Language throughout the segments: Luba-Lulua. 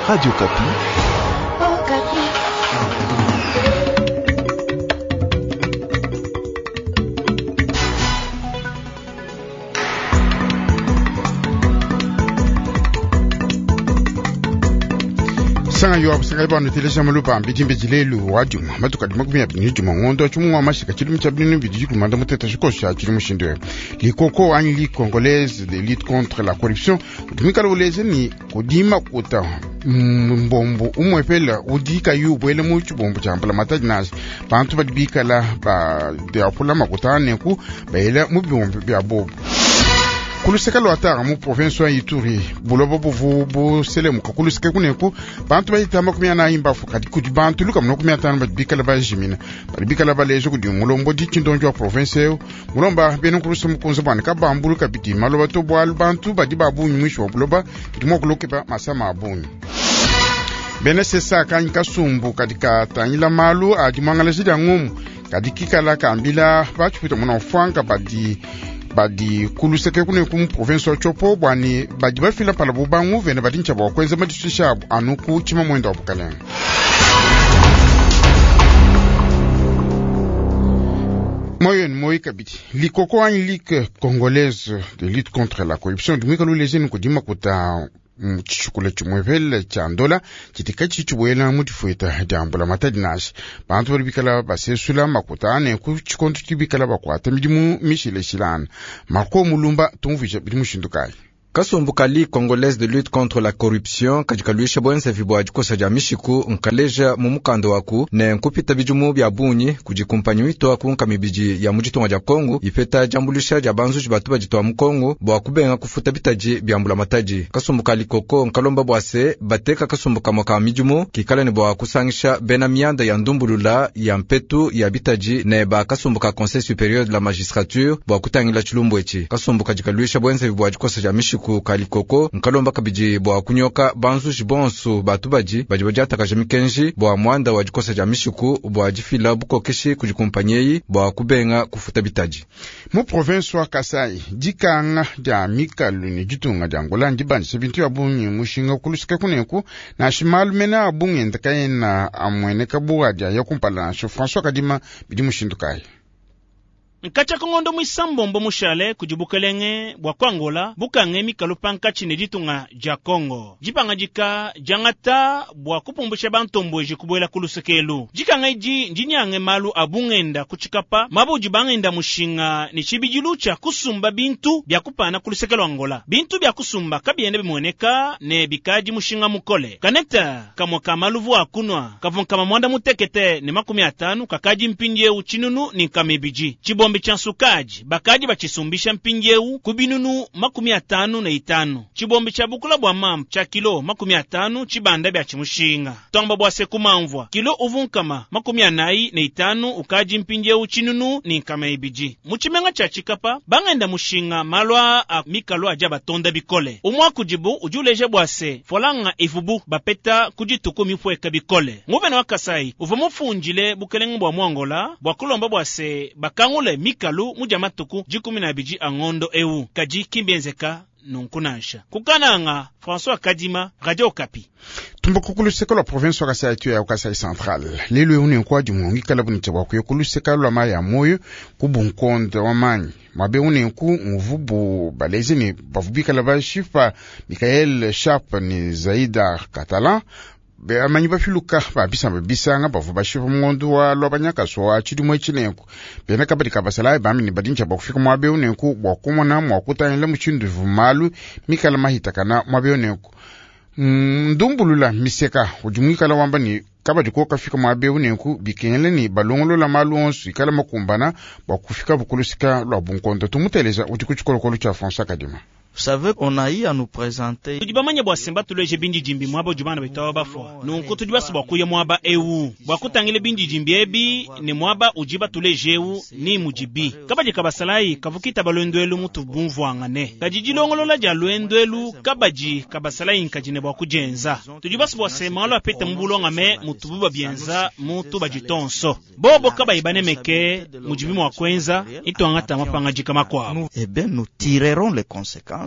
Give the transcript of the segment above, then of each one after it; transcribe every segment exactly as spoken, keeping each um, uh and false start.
Radio Okapi. Okapi. Sanga yo abusanga bano telesha malupa mbiti mbiti lelu wa juma matuka dima kumya binyu juma ngondo chumu wa mashika chilumu cha binu bidi kumanda muteta shikosha chilumu shindwe likoko anyi li congolaise de lutte contre la corruption utumika luleze ni kudima kuta mbombo umwepela udika yu bwele mu chibombo cha mpala mataji nasi bantu badi bikala ba de apula makutane ku bayela mu bibombo bya bobo kuluseka lwa tara mu province ya Ituri bulobo buvu buselemuka kuluseka kuneku bantu bayita makumi anayi mbafu kadi kudi bantu luka makumi atanu badi bikala bajimina badi bikala baleja kudi mulombo di tshindonjo wa province eu mulomba bena nkulusa mukunza bwana kabambulu kabidi maloba to bwalu bantu badi babunyi mwisho wa buloba bidi mua kulokeba masama abunyi bena sesa kanyi kasumbu kadi katangila malu adi muangalaji dia ngumu kadi kikala kambila batshipita muna mfwanka badi badi kuluseke kune ku province wa Tshopo bwani badi bafila pala bubangu vene badi ntshaba kwenza madishisha abu anu ku tshima mwendo wa bukalenga. Moyen moi kabidi likoko anyi ligue congolaise de lutte contre la corruption dimwika lulezeni kudima kuta tshikula tshimwepele tsha ndola tshitika tshitshibuela mu difueta dia mbula matadi nashi bantu badi bikala basesula makuta ane ku tshikondo tshibikala bakwata midimu mishileshilana Marco Mulumba tumvuija bidi mushindu kayi. Kasumbu ka Ligue congolaise de lutte contre la corruption kadi kaluisha bwenzevi bua dikosa dia mishiku nkaleja mu mukanda waku ne nkupita bidimu bia bungi kudi kumpanyi witwa ku mibidi ya mu ditunga dia Kongo ipeta diambulisha dia banzuji batu baditwa mu Kongo bua kubenga kufuta bitadi bia mbula matadi. Kasumbu ka Likoko nkalomba bua se bateka kasumbu kamwe ka midimu kikala ne bua kusangisha bena mianda ya ndumbulula ya mpetu ya bitadi ne ba kasumbu ka Conseil supérieur de la magistrature bua kutangila tshilumbu etshi. Kasumbu kadi kaluisha bwenzevi bua dikosa dia mishiku kalikoko nkalomba kabidi bua kunyoka banzuji bonso batu badi badi badiatakaja mikenji bua mwanda wa dikosa dia mishiku bua difila bukokeshi kudi kumpanyi eyi bua kubenga kufuta bitadi. Mu province wa Kasai dikanga dia mikalu ne ditunga dia Angola ndibandisha bintu ya bungi mushinga kulusika kuneku nashi malu mene a bungi enda kayena amueneka bua dia ya kumpala nashi François Kadima bidi mushindu kayi. Nkacha kongondo mwisambombo mushale kudi bukelenge bwa kwangola bukange mikalu pankatshi ne ditunga dia Kongo dipanga dika diangata bua kupumbusha bantombweji kubuela kulusekelu dikanga idi ndinyange malu abungenda kutshikapa mabudi bangenda mushinga ne tshibidilu tshia kusumba bintu bia kupana kulusekelu Angola bintu bia kusumba kabiende bimueneka ne bikadi mushinga mukole kaneta kamwe ka maluvu akunwa kavunkama mwanda mutekete ne makumi atanu kakadi mpindiewu tshinunu ni nkamibidi Chibombe cha nsukaji bakaji bachisumbisha mpingieu kubinunu makumi atanu na itanu chibombe cha bukula bwa mampu cha kilo makumi atanu chibanda bya chimushinga tomba bwa sekumamvwa kilo uvunkama makumi anayi na itanu ukaji mpingieu chinunu ni nkama ibiji muchimenga cha chikapa bangenda mushinga malwa a mikalo aja batonda bikole umwa kujibu ujuleje bwase folanga ivubu bapeta kujituku mipweka bikole nguvena wa Kasai uva mufunjile bukelenge bwa mwangola bwa kulomba bwase bakangule mikalu muja matuku jikumi na biji angondo eu kaji kimbienzeka nunkunansha kukananga François Kadima, Radio Okapi. Tumbuka kuluseka lwa province wa Kasai tu ya Kasai Central lelo eune nkwa dimungi kala bunitse bwa kuya kuluseka lwa maya moyo kubunkonde wa manyi mabe une nku mvubu balezi ni bavubikala bashifa Michael Sharp ni Zaida Catalan amanyi bafiluka babisamba bisanga bavu bashifa mungondo wa lwa banyakaso wa tshidimo tshinenku bena kabadi kabasala bamini badintsha bakufika mwabe unenku bwa kumona mwa kutangila mushindu vumalu mikala mahitakana mwabe unenku ndumbulula miseka udi mwikala wamba ni kabadi ko kafika mwabe unenku bikengele ni balongolola malu onso ikala makumbana bwa kufika bukulusika lwa bunkondo tumuteleza udi ku tshikolokolo tshia François Kadima. Vous savez, on a eu à nous présenter. Tudi bamanya bua semba tuleje bindi jimbi mwaba udi bana betawa bafua nunku tudi basu bua kuya mwaba ewu bua kutangila bindi jimbi ebi ne mwaba udi batuleje ewu ni mudibi kabadi kabasalayi kavukita balwendo mutu bumvuangane kadi dilongolola dia lwendo elu kabadi kabasalayi nkadi ne bua kujenza tudi basu bua sema alo apete mu bulongame mutu buba bienza mutu baditonso bobo kabayi banemeke mudibi mua kuenza itwangata mapangadika makuabu. Eh bien, nous tirerons les conséquences.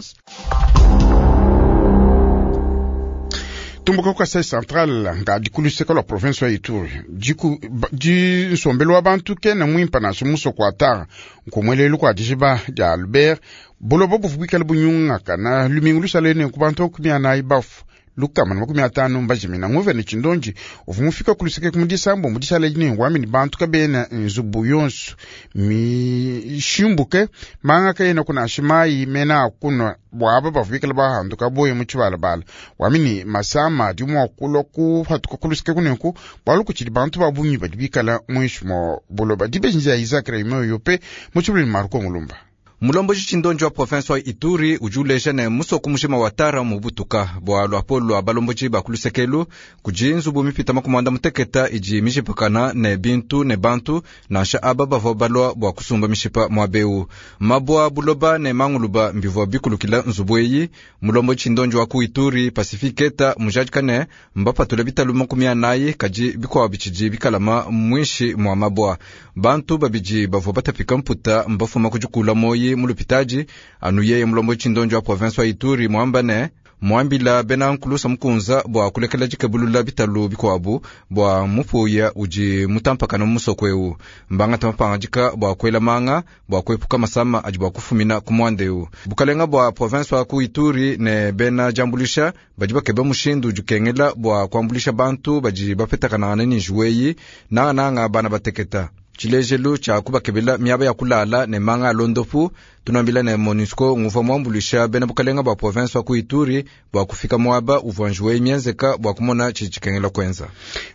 Tumbuka ku Kasai Central ngadi ku luseke lua province wa Ituri diku di nsombelu wa bantu kena muimpa nansha musoko wa Tara nkumwelelu kua dijiba dia Albert buloba buvu buikale bunyungaka na lumingu lusale ne ku bantu makumi anayi bafu lukama na makumi atanu mbajimina nguvene tshindonji uvu mufika ku luseke ku disambo mu dishala dine wamini bantu kabena nzubu yonso mishimbuke manga kayena kuna mayi mena akunwa bwaba bavu bikala bahanduka boye mu tshibalabala wamini masama adi mua kulua kuhatuka ku luseke kunenku bwalu kutshidi bantu ba bungi badi bikala muinshi mua buloba dibeji dia Isaac Raymond Yope mu tshibulini Marco Mulumba. Mulomboji tshindonji wa province wa Ituri udi uleja ne musoko mushima wa Tara mubutuka bua luapolo lua balomboji ba kulusekelu kudi nzubu mipita makumi muteketa idi mishipakana ne bintu ne bantu nansha aba bavua balua bua kusumba mishipa muabeu mabua buloba ne manguluba mbivua bikulukila nzubu eyi. Mulomboji tshindonji wa ku Ituri Pacifique Eta mujadika ne mbapatula bitalu makumi anayi kadi bikuabu bitshidi bikalama muinshi mua mabua. Bantu babidi bavua batapika mputa mbafuma kudikula moyi mulupitaji anu yeye mulombo tshindonji wa province wa Ituri mwamba ne mwambila bena nkulusa mukunza bua kulekela dikebulula bitalu bikuabu bua mupuya udi mutampakana musoko eu mbangata mapangadika bua kuela manga bua kuepuka masama adi bua kufumina ku muanda eu. Bukalenga bua province wa ku Ituri ne bena jambulisha badi bakeba mushindu udi ukengela bua kuambulisha bantu badi bapetakanangana ne njuweyi nangananga bana bateketa tshilejelu tshia kubakebela miaba ya kulala ne manga alondopu. Tunambila ne MONUSCO nguva muambulisha bena bukalenga bua province wa ku Ituri bua kufika muaba uvua njuweyi mienzeka bua kumona tshidi tshikengela kuenza.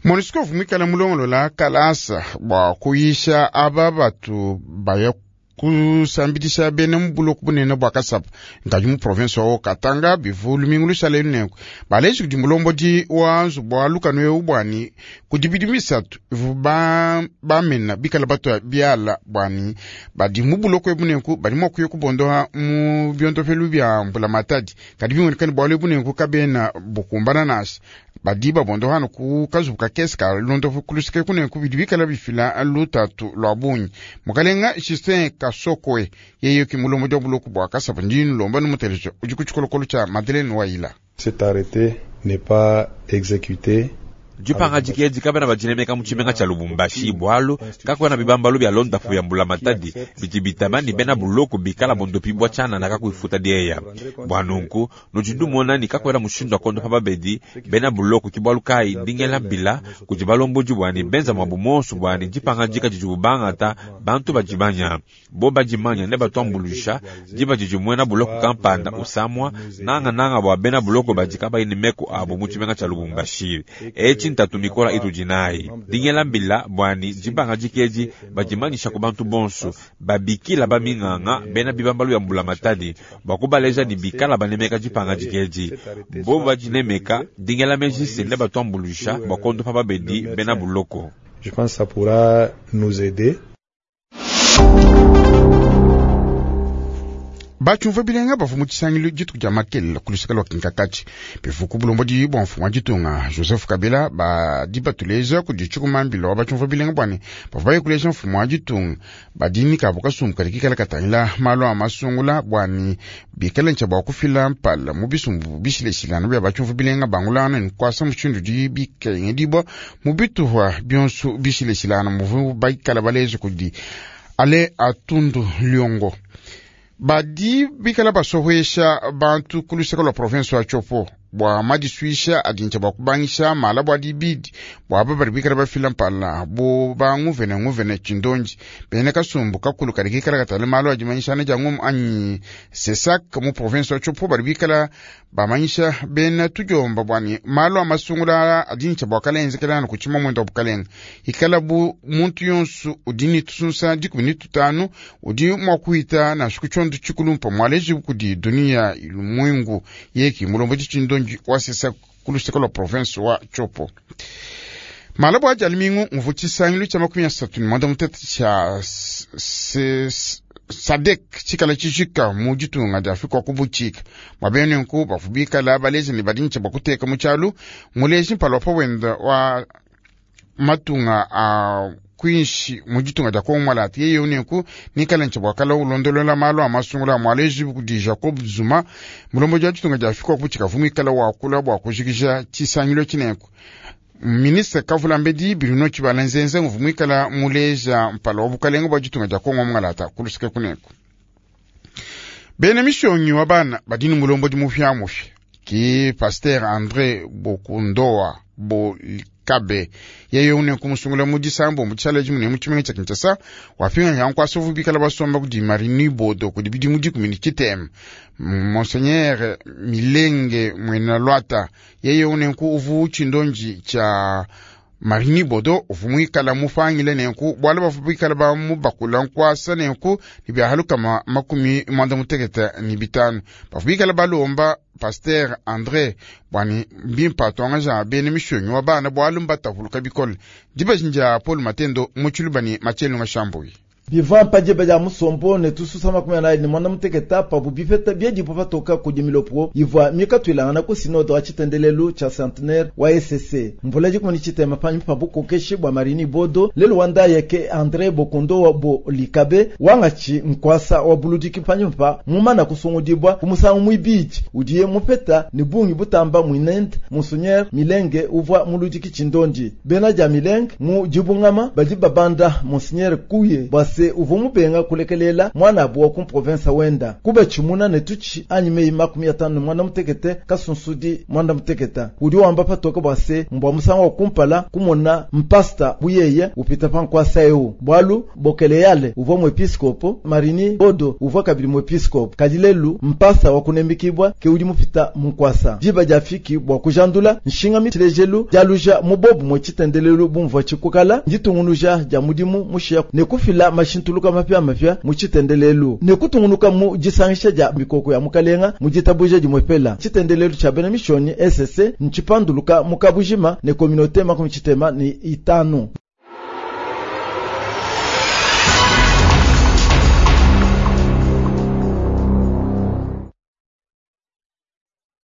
MONUSCO vumikala mulongolola kalasa bua kuyisha aba batu baya kusambidisha bena mu buloko bunene bua Kasapa nkadi mu province wa Katanga bivu lumingu lusale nenku baleji kudi mulombodi wa nzubu wa lukanu eu bwani kudi bidimu bisatu ivu ba bamena bikala bato biala bwani badi mu buloko ebu nenku badi mua kuya kubondoha mu biondopelu bia mbula matadi kadi bimonekani bwalu ebu nenku kabena bukumbana nasha badi babondohana ku kazubu kakese ka londopo kuluseke kunenku bidi bikala bifila lutatu lua bungi. Mukalenga Justin Kasokwe yeye ki mulombodi wa buloko bua Kasapa ndinu lomba numuteleja udi ku tshikolokolo tshia Madeleine Waila. Cet arrêté n'est pas exécuté. Dipangadika edi kabena badinemeka mu tshimenga tshia Lubumbashi bwalu kakwena bibambalu bia londafu bya mbula matadi bidi bitaba ni bena buloko bikala bondopi bwa tshianana kakuifuta dieya bwa nunku nudi ndumona ni kakwena mushindu wa kondopa babedi bena buloko ki bwalu kayi ndingela mbila kudi balombodi bwani benza mwabu monso bwani dipangadika didi bubangata bantu badimanya bo badimanya ne batuambulusha diba didi muena buloko kampanda usamwa nangananga bwa bena buloko badi kabayi ne meku abu mu tshimenga tshia Lubumbashi. Etshi ntatu mikola itu dinayi dingela mbila bwani dipangadika edi badimanyisha ku bantu bonso babikila baminganga bena bibambalu ya mbula matadi bua kubaleja ni bikala banemeka dipangadika edi bo badinemeka dingela meji ne batuambulusha bua kondopa babedi bena buloko. Je pense que ça pourra nous aider. Batshiumvua bilenga bavua mu tshisangilu dituku dia makelela ku luseke lua Kinkakatshi bivu ku bulombodi bua mfumu wa ditunga Joseph Kabila badi batuleja kudi tshikumambila wa batshiumvua bilenga bwani bavua baye kuleja mfumu wa ditunga badi nikabu kasumbu kadi kikala katangila malu a masungula bwani bikala ntshia bua kufila mpala mu bisumbu bishileshilana bia batshiumvua bilenga bangulana ni kuasa mushindu udi bikengedibua mu bituha bionso bishileshilana muvu baikala baleja kudi ale atundu liongo badi bikala basohwesha bantu ku luseke lua province wa Tshopo bua madisuisha adi ntshia bua kubangisha mala bua dibidi bua aba badi bikala bafila mpala bo banguvene nguvene tshindonji bene kasumbu kakulu kadi kikala katale malu adimanyishana dia ngumu anyi sesak mu province wa Tshopo badi bikala bamanyisha bena tudiomba bwani malu a masungula adi ntshia bua kala enzekelana ku tshima mwenda wa bukalenga ikala bu muntu yonso udi ni tusunsa dikumi ni tutanu udi mua kuhita nansha ku tshiondo tshikulumpa mualeji kudi dunia ilumwengu yeki mulombodi tshindonji wa sesak ku luseke lua province wa Tshopo. Malabo aja alimingu nguvu tshisangilu tshia makumi asatu ni mwanda mutete tshia SADC tshikala tshijika mu ditunga dia Afrika wa kubuchika mwabene nku bavu bikala baleji ni badi ntshia bua kuteka mu tshialu muleji mpala wa pa wenda wa matunga a kuinshi mu ditunga dia Kongo mwalata yeye unenku nikala nchabwakala ulondolola malu a masungula mwaleji kudi Jacob Zuma mulombo dia ditunga dia Afrika kuchika vumikala wakula bwa kujikija chisangilo chinenku. Ministre Kavula Mbedi Bruno Tshibala Nzenze nguvumwikala muleja mpala wa bukalenga bwa ditunga dia Kongo mwalata kulusike kunenku. Bena mishonyi wa bana badini mulombo di mufya mufya ki Pasteur André Bokundoa Bolikabe yeye une kumusungula mu disambo mu tshala jimune mu tshimenga tsha Kinshasa wapinga yankwasa vubikala basomba kudi Marini Bodo kudi bidimu dikumi ni tshitema. Monseigneur Milenge Mwena Lwata yeye une ku uvu tshindonji tsha Marini Bodo uvumwikala mufangile nenku bwala bavubikala ba mubakula nkwasa nenku ni byahaluka makumi mwanda muteketa ni bitano bavubikala balomba Pasteur André bwani mbimpa twanga bene mishonyi wa bana bwalu mbatavuluka bikole dibajinja Paul Matendo muchilubani machelunga shambui biva mpaje ya musombo ne tususa makumi anayi ne mwana muteketa pabu bipeta byedipo patoka kudi milopo ivwa mikatwilangana ku sinodo wa tshitendelelu tsha centenaire wa E C C mvula dikumani tshitema panyi pa bukokeshi bwa Marini Bodo lelu wanda ke André Bokondo wa bo likabe wangachi nkwasa wa buludiki panyi pa mumana kusungudibwa kumusangu mwibiji udiye mupeta ni bungi butamba mwinende Monseigneur Milenge uvwa muludiki tshindondi bena ja Milenge mu dibungama badi babanda Monseigneur Kuye bwase uvu mubenga kulekelela mwana abuwa ku province wenda kuba chimuna ne tuchi anyi makumi atano mwana mutekete kasunsudi mwana muteketa udi wamba patoka bwase mbwa musango wa kumpala kumona mpasta buyeye upita pankwasa eu bwalu bokeleyale uvwa mwepiskopo Marini Bodo uvwa kabili mwepiskopo kadilelu mpasta wa kunembikibwa ke udi mupita munkwasa diba jafiki bwa kujandula nshinga mitilejelu jaluja mubobu mwechitendelelu bumvwa chikukala nditungunuja ja mudimu mushia ne kufila mashintuluka mapya mapya muchitendelelu ne kutungunuka mu jisangisha ja mikoko ya mukalenga mujitabuja jimwepela chitendelelu cha bena mishoni S C nchipanduluka mukabujima ne communauté makumi chitema ni itano.